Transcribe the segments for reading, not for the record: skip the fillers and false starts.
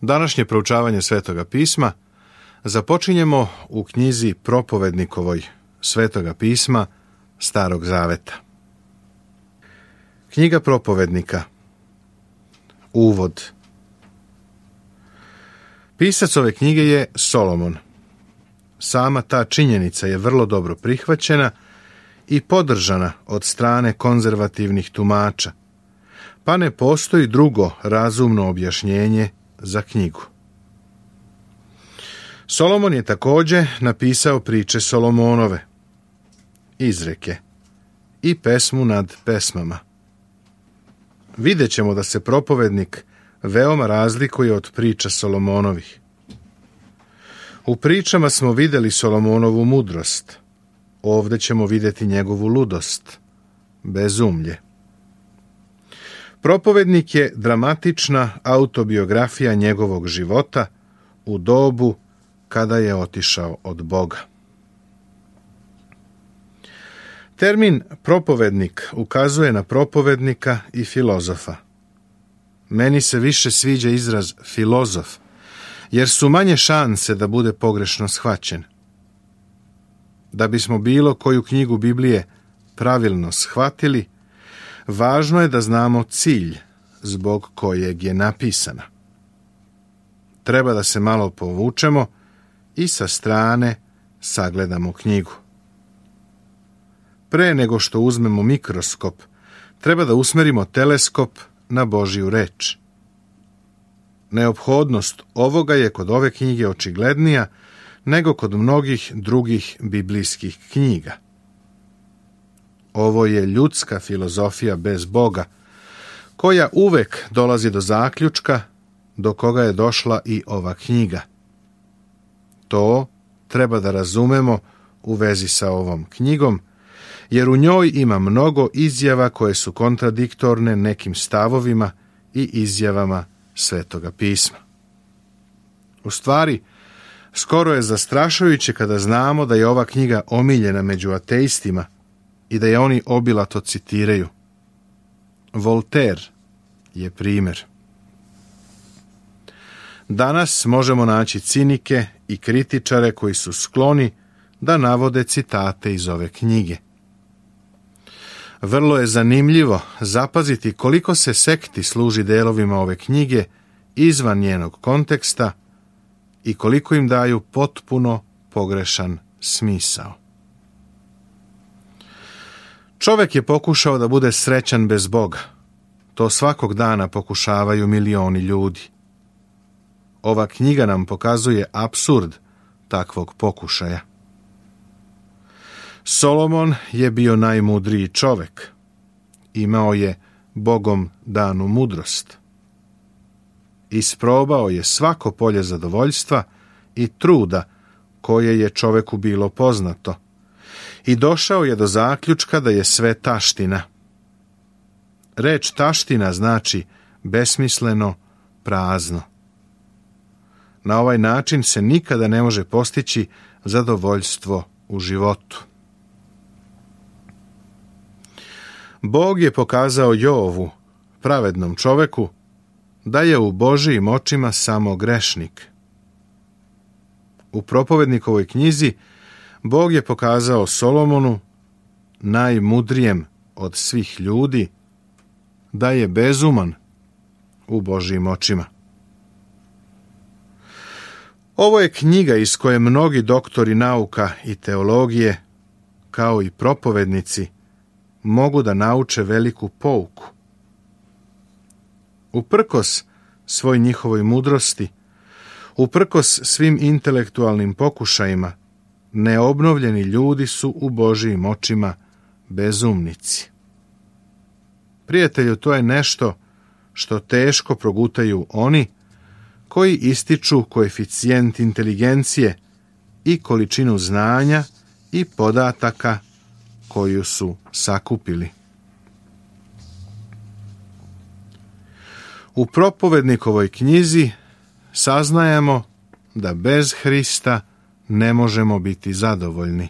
Današnje proučavanje Svetoga pisma započinjemo u knjizi propovednikovoj Svetoga pisma Starog zaveta. Knjiga propovednika. Uvod. Pisac ove knjige je Solomon. Sama ta činjenica je vrlo dobro prihvaćena i podržana od strane konzervativnih tumača, pa ne postoji drugo razumno objašnjenje za knjigu. Solomon je također napisao priče Solomonove, izreke i pesmu nad pesmama. Vidjet ćemo da se propovednik veoma razlikuje od priča Solomonovih. U pričama smo vidjeli Solomonovu mudrost, ovdje ćemo vidjeti njegovu ludost, bezumlje. Propovednik je dramatična autobiografija njegovog života u dobu kada je otišao od Boga. Termin propovednik ukazuje na propovednika i filozofa. Meni se više sviđa izraz filozof, jer su manje šanse da bude pogrešno shvaćen. Da bismo bilo koju knjigu Biblije pravilno shvatili, važno je da znamo cilj zbog kojeg je napisana. Treba da se malo povučemo i sa strane sagledamo knjigu. Pre nego što uzmemo mikroskop, treba da usmerimo teleskop na Božju reč. Neophodnost ovoga je kod ove knjige očiglednija nego kod mnogih drugih biblijskih knjiga. Ovo je ljudska filozofija bez Boga, koja uvek dolazi do zaključka do koga je došla i ova knjiga. To treba da razumemo u vezi sa ovom knjigom, jer u njoj ima mnogo izjava koje su kontradiktorne nekim stavovima i izjavama Svetoga pisma. U stvari, skoro je zastrašujuće kada znamo da je ova knjiga omiljena među ateistima i da je oni obilato citiraju. Voltaire je primjer. Danas možemo naći cinike i kritičare koji su skloni da navode citate iz ove knjige. Vrlo je zanimljivo zapaziti koliko se sekti služi delovima ove knjige izvan njenog konteksta i koliko im daju potpuno pogrešan smisao. Čovjek je pokušao da bude srećan bez Boga. To svakog dana pokušavaju milioni ljudi. Ova knjiga nam pokazuje apsurd takvog pokušaja. Solomon je bio najmudriji čovjek. Imao je Bogom danu mudrost. Isprobao je svako polje zadovoljstva i truda koje je čovjeku bilo poznato i došao je do zaključka da je sve taština. Reč taština znači besmisleno, prazno. Na ovaj način se nikada ne može postići zadovoljstvo u životu. Bog je pokazao Jovu, pravednom čoveku, da je u Božijim očima samo grešnik. U propovednikovoj knjizi Bog je pokazao Solomonu, najmudrijem od svih ljudi, da je bezuman u Božijim očima. Ovo je knjiga iz koje mnogi doktori nauka i teologije, kao i propovednici, mogu da nauče veliku pouku. Uprkos svoj njihovoj mudrosti, uprkos svim intelektualnim pokušajima, neobnovljeni ljudi su u Božijim očima bezumnici. Prijatelju, to je nešto što teško progutaju oni koji ističu koeficijent inteligencije i količinu znanja i podataka koju su sakupili. U propovednikovoj knjizi saznajemo da bez Hrista ne možemo biti zadovoljni.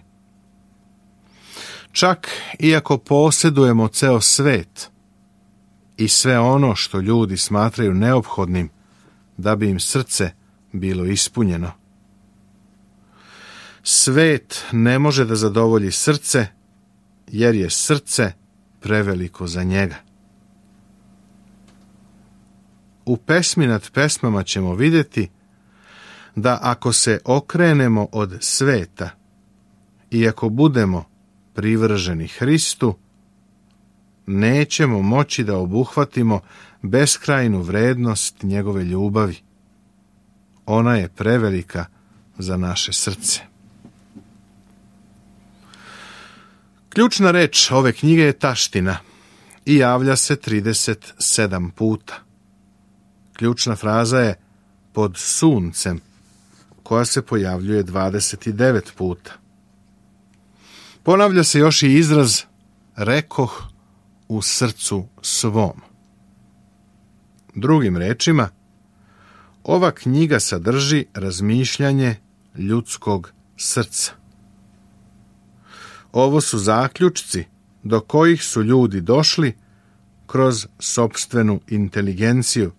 Čak iako posjedujemo ceo svet i sve ono što ljudi smatraju neophodnim da bi im srce bilo ispunjeno. Svet ne može da zadovolji srce, jer je srce preveliko za njega. U pesmi nad pesmama ćemo vidjeti da ako se okrenemo od sveta i ako budemo privrženi Hristu, nećemo moći da obuhvatimo beskrajnu vrednost njegove ljubavi. Ona je prevelika za naše srce. Ključna reč ove knjige je taština i javlja se 37 puta. Ključna fraza je pod suncem, koja se pojavljuje 29 puta. Ponavlja se još i izraz rekoh u srcu svom. Drugim rečima, ova knjiga sadrži razmišljanje ljudskog srca. Ovo su zaključci do kojih su ljudi došli kroz sopstvenu inteligenciju,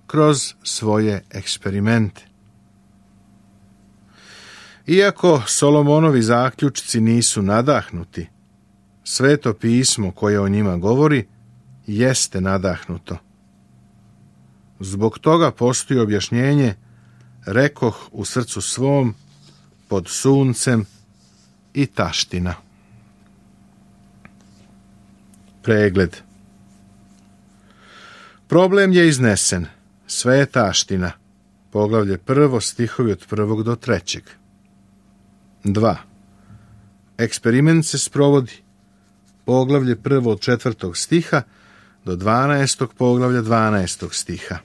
kroz svoje eksperimente. Iako Solomonovi zaključci nisu nadahnuti, Sveto pismo koje o njima govori jeste nadahnuto. Zbog toga postoji objašnjenje rekoh u srcu svom, pod suncem i taština. Pregled. Problem je iznesen. Sve je taština. Poglavlje 1, stihovi od 1 do 3. 2. Eksperiment se sprovodi. Poglavlje 1 od 4. stiha do 12. poglavlja 12. stiha.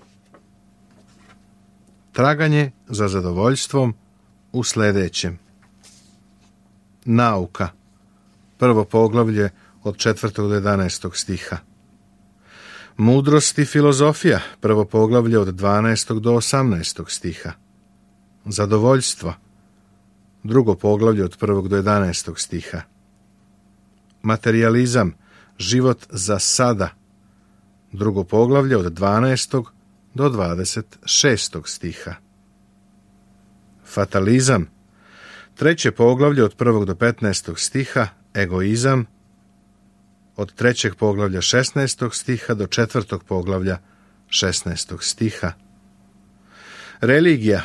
Traganje za zadovoljstvom u sljedećem. Nauka. 1. poglavlje od 4. do 11. stiha. Mudrost i filozofija. 1. poglavlje od 12. do 18. stiha. Zadovoljstvo. 2. poglavlje od 1. do 11. stiha. Materijalizam. Život za sada. 2. poglavlje od 12. do 26. stiha. Fatalizam. 3. poglavlje od 1. do 15. stiha. Egoizam. Od 3. poglavlja 16. stiha do 4. poglavlja 16. stiha. Religija.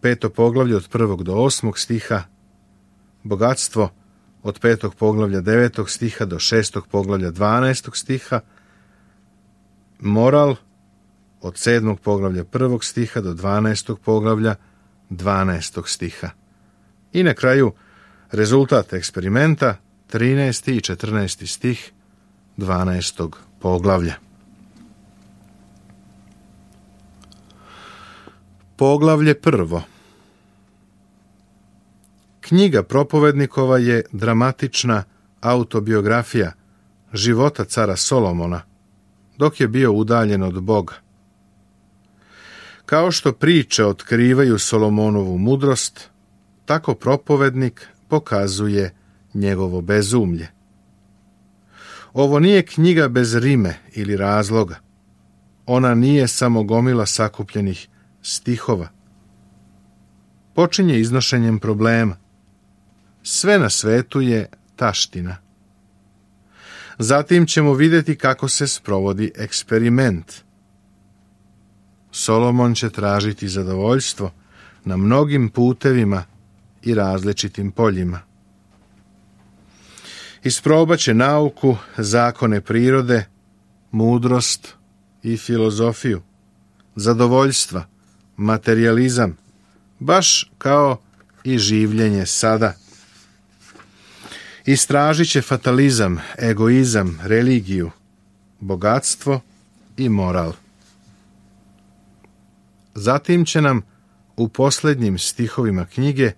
5. poglavlje od 1. do 8. stiha. Bogatstvo. Od 5. poglavlja 9. stiha do 6. poglavlja 12. stiha. Moral. Od 7. poglavlja 1. stiha do 12. poglavlja 12. stiha. I na kraju rezultat eksperimenta 13. i 14. stih 12. poglavlja. Poglavlje 1. Knjiga propovednikova je dramatična autobiografija života cara Solomona, dok je bio udaljen od Boga. Kao što priče otkrivaju Solomonovu mudrost, tako propovednik pokazuje njegovo bezumlje. Ovo nije knjiga bez rime ili razloga. Ona nije samo gomila sakupljenih stihova. Počinje iznošenjem problema. Sve na svetu je taština. Zatim ćemo vidjeti kako se sprovodi eksperiment. Solomon će tražiti zadovoljstvo na mnogim putevima i različitim poljima. Isprobat će nauku, zakone prirode, mudrost i filozofiju, zadovoljstva, materijalizam, baš kao i življenje sada. Istražit će fatalizam, egoizam, religiju, bogatstvo i moral. Zatim će nam u posljednjim stihovima knjige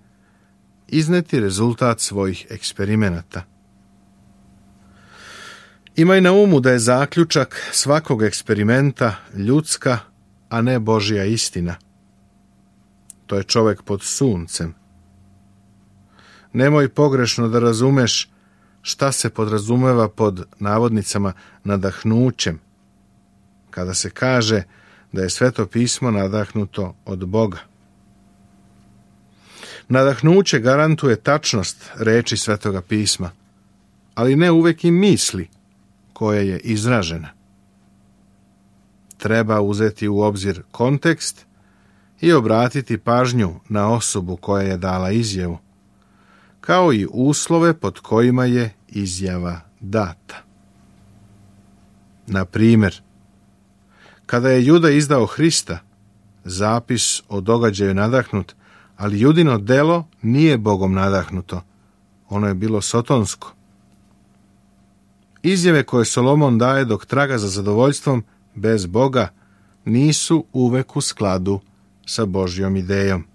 izneti rezultat svojih eksperimenata. Imaj na umu da je zaključak svakog eksperimenta ljudska, a ne Božja istina. To je čovjek pod suncem. Nemoj pogrešno da razumeš šta se podrazumeva pod navodnicama nadahnućem, kada se kaže da je Sveto pismo nadahnuto od Boga. Nadahnuće garantuje tačnost reči Svetoga pisma, ali ne uvek i misli koja je izražena. Treba uzeti u obzir kontekst i obratiti pažnju na osobu koja je dala izjavu, kao i uslove pod kojima je izjava data. Na primjer, kada je Juda izdao Hrista, zapis o događaju nadahnut, ali Judino delo nije Bogom nadahnuto, ono je bilo sotonsko. Izjave koje Solomon daje dok traga za zadovoljstvom bez Boga nisu uvek u skladu sa Božjom idejom.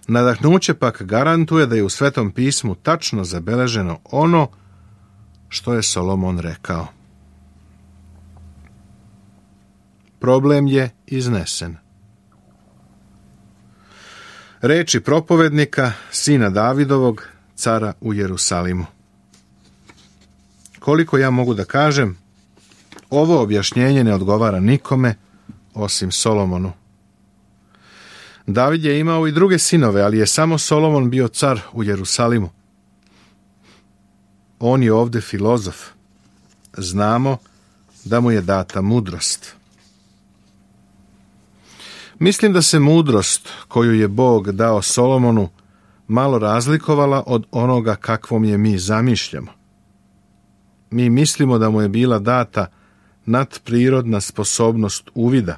Nadahnuće pak garantuje da je u Svetom pismu tačno zabeleženo ono što je Solomon rekao. Problem je iznesen. Reči propovednika, sina Davidovog, cara u Jerusalimu. Koliko ja mogu da kažem, ovo objašnjenje ne odgovara nikome osim Solomonu. David je imao i druge sinove, ali je samo Solomon bio car u Jerusalimu. On je ovde filozof. Znamo da mu je data mudrost. Mislim da se mudrost koju je Bog dao Solomonu malo razlikovala od onoga kakvom je mi zamišljamo. Mi mislimo da mu je bila data nadprirodna sposobnost uvida,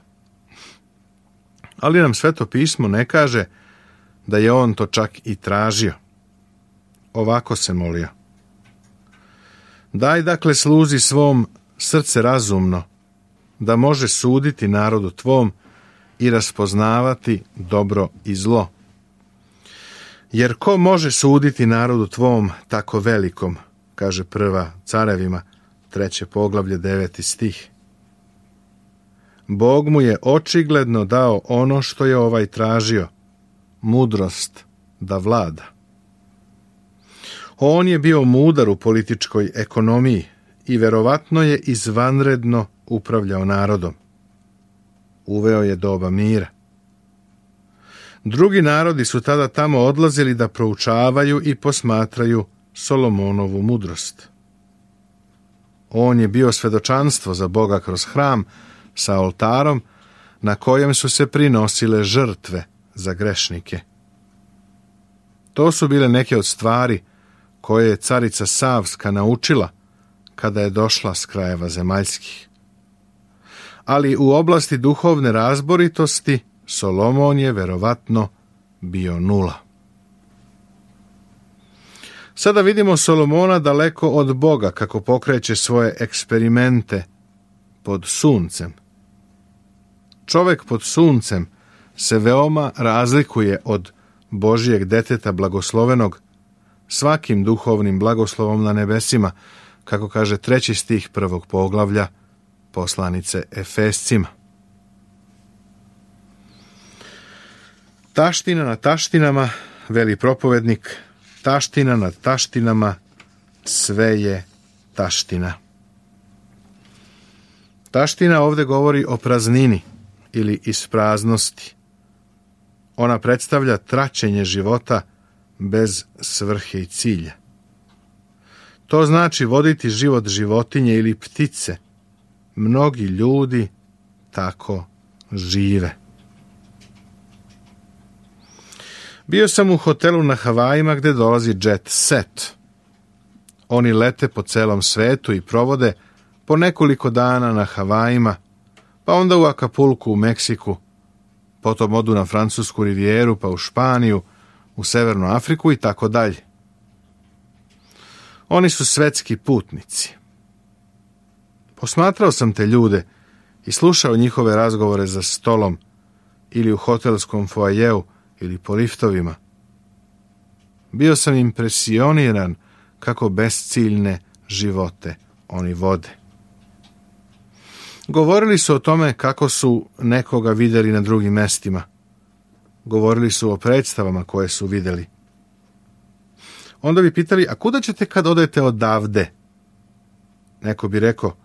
ali nam Sveto pismo ne kaže da je on to čak i tražio. Ovako se molio: daj dakle sluzi svom srce razumno, da može suditi narodu tvom i raspoznavati dobro i zlo. Jer ko može suditi narodu tvom tako velikom, kaže prva Carevima, 3. poglavlje, 9. stih. Bog mu je očigledno dao ono što je ovaj tražio, mudrost da vlada. On je bio mudar u političkoj ekonomiji i verovatno je izvanredno upravljao narodom. Uveo je doba mira. Drugi narodi su tada tamo odlazili da proučavaju i posmatraju Solomonovu mudrost. On je bio svedočanstvo za Boga kroz hram sa oltarom na kojem su se prinosile žrtve za grešnike. To su bile neke od stvari koje je carica Savska naučila kada je došla s krajeva zemaljskih. Ali u oblasti duhovne razboritosti Solomon je verovatno bio nula. Sada vidimo Solomona daleko od Boga kako pokreće svoje eksperimente pod suncem. Čovek pod suncem se veoma razlikuje od Božijeg deteta blagoslovenog svakim duhovnim blagoslovom na nebesima, kako kaže 3. stih 1. poglavlja poslanice Efescima. Taština na taštinama, veli propovednik, taština na taštinama, sve je taština. Taština ovde govori o praznini ili ispraznosti. Ona predstavlja traćenje života bez svrhe i cilja. To znači voditi život životinje ili ptice. Mnogi ljudi tako žive. Bio sam u hotelu na Havajima gde dolazi jet set. Oni lete po celom svetu i provode po nekoliko dana na Havajima, pa onda u Akapulku u Meksiku, potom odu na Francusku rivijeru, pa u Španiju, u Severnu Afriku i tako dalje. Oni su svetski putnici. Posmatrao sam te ljude i slušao njihove razgovore za stolom ili u hotelskom foajeu ili po liftovima. Bio sam impresioniran kako besciljne živote oni vode. Govorili su o tome kako su nekoga vidjeli na drugim mestima. Govorili su o predstavama koje su vidjeli. Onda bi pitali, a kuda ćete kad odete odavde? Neko bi rekao,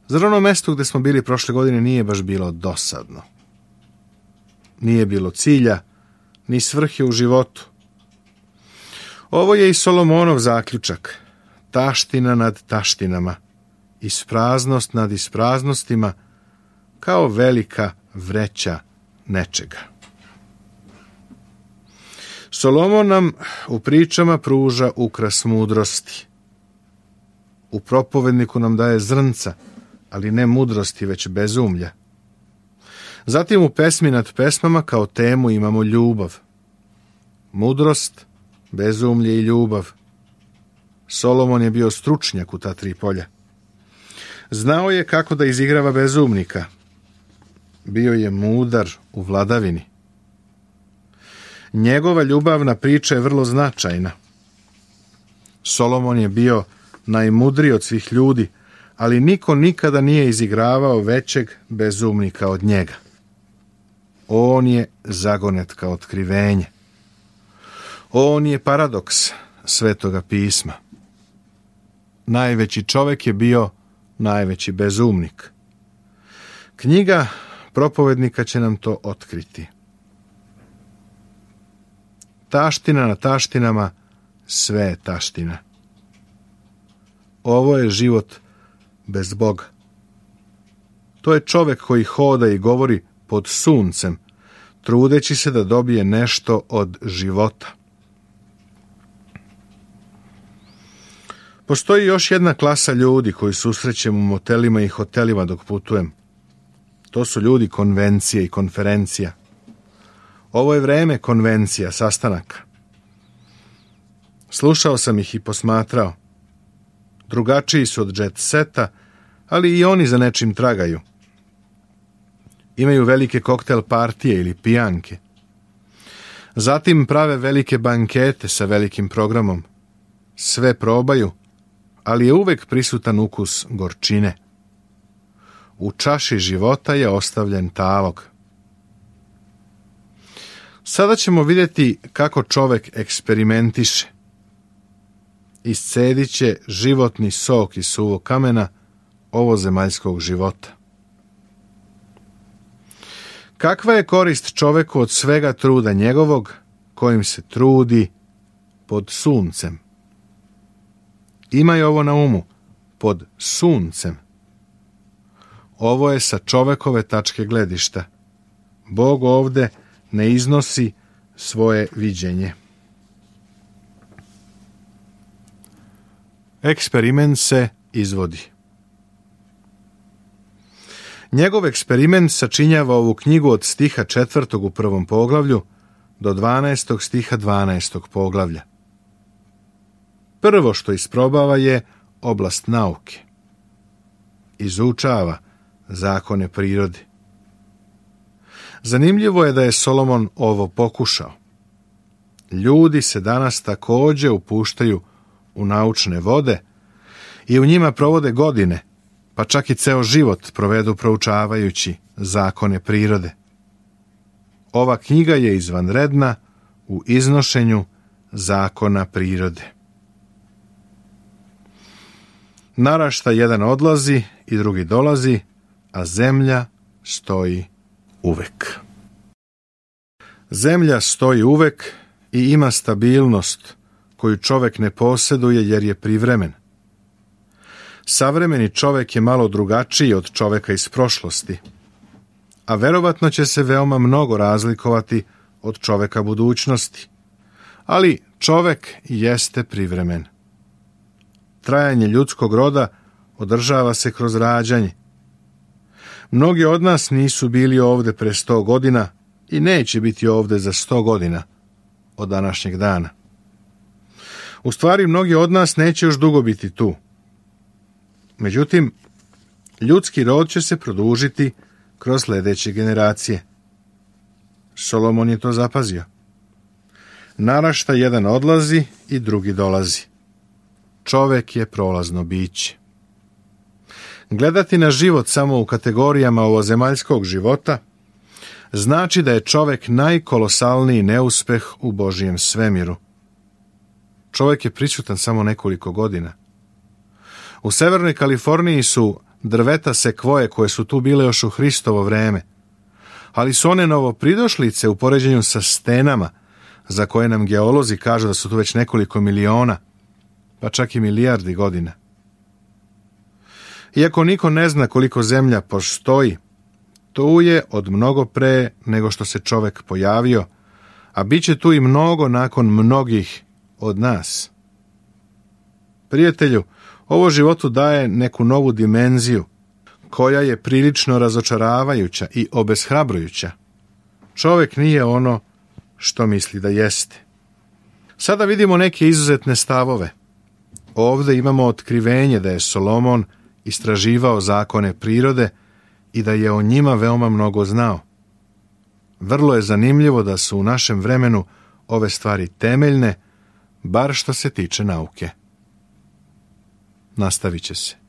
Zar ono mesto gde smo bili prošle godine nije baš bilo dosadno? Nije bilo cilja, ni svrhe u životu. Ovo je i Solomonov zaključak. Taština nad taštinama, ispraznost nad ispraznostima, kao velika vreća nečega. Solomon nam u pričama pruža ukras mudrosti. U propovedniku nam daje zrnca, ali ne mudrosti, već bezumlja. Zatim u pesmi nad pesmama kao temu imamo ljubav. Mudrost, bezumlje i ljubav. Solomon je bio stručnjak u ta tri polja. Znao je kako da izigrava bezumnika. Bio je mudar u vladavini. Njegova ljubavna priča je vrlo značajna. Solomon je bio najmudriji od svih ljudi, ali niko nikada nije izigravao većeg bezumnika od njega. On je zagonetka otkrivenje. On je paradoks Svetoga pisma. Najveći čovjek je bio najveći bezumnik. Knjiga propovednika će nam to otkriti. Taština na taštinama, sve je taština. Ovo je život bez Boga. To je čovjek koji hoda i govori pod suncem, trudeći se da dobije nešto od života. Postoji još jedna klasa ljudi koju susrećem u motelima i hotelima dok putujem. To su ljudi konvencije i konferencija. Ovo je vreme konvencija, sastanaka. Slušao sam ih i posmatrao. Drugačiji su od jet seta, ali i oni za nečim tragaju. Imaju velike koktel partije ili pijanke. Zatim prave velike bankete sa velikim programom. Sve probaju, ali je uvek prisutan ukus gorčine. U čaši života je ostavljen talog. Sada ćemo vidjeti kako čovjek eksperimentiše. Iscedit će životni sok iz suvog kamena ovozemaljskog života. Kakva je korist čoveku od svega truda njegovog, kojim se trudi pod suncem? Imaj ovo na umu, pod suncem. Ovo je sa čovekove tačke gledišta. Bog ovde ne iznosi svoje viđenje. Eksperiment se izvodi. Njegov eksperiment sačinjava ovu knjigu od stiha 4. u 1. poglavlju do 12. stiha 12. poglavlja. Prvo što isprobava je oblast nauke. Izučava zakone prirode. Zanimljivo je da je Solomon ovo pokušao. Ljudi se danas također upuštaju u naučne vode i u njima provode godine, pa čak i ceo život provedu proučavajući zakone prirode. Ova knjiga je izvanredna u iznošenju zakona prirode. Narašta jedan odlazi i drugi dolazi, a zemlja stoji uvek. Zemlja stoji uvek i ima stabilnost koju čovjek ne posjeduje jer je privremen. Savremeni čovjek je malo drugačiji od čovjeka iz prošlosti, a verovatno će se veoma mnogo razlikovati od čovjeka budućnosti. Ali čovjek jeste privremen. Trajanje ljudskog roda održava se kroz rađanje. Mnogi od nas nisu bili ovde pre 100 godina i neće biti ovde za 100 godina od današnjeg dana. U stvari, mnogi od nas neće još dugo biti tu. Međutim, ljudski rod će se produžiti kroz sljedeće generacije. Solomon je to zapazio. Narašta jedan odlazi i drugi dolazi. Čovek je prolazno biće. Gledati na život samo u kategorijama ovozemaljskog života znači da je čovek najkolosalniji neuspeh u Božijem svemiru. Čovjek je prisutan samo nekoliko godina. U Severnoj Kaliforniji su drveta sekvoje koje su tu bile još u Hristovo vreme, ali su one novopridošlice u poređenju sa stenama, za koje nam geolozi kažu da su tu već nekoliko miliona, pa čak i milijardi godina. Iako niko ne zna koliko zemlja postoji, tu je od mnogo pre nego što se čovek pojavio, a bit će tu i mnogo nakon mnogih od nas. Prijatelju, ovo životu daje neku novu dimenziju, koja je prilično razočaravajuća i obeshrabrujuća. Čovek nije ono što misli da jeste. Sada vidimo neke izuzetne stavove. Ovde imamo otkrivenje da je Solomon istraživao zakone prirode i da je o njima veoma mnogo znao. Vrlo je zanimljivo da su u našem vremenu ove stvari temeljne, bar što se tiče nauke. Nastavit će se.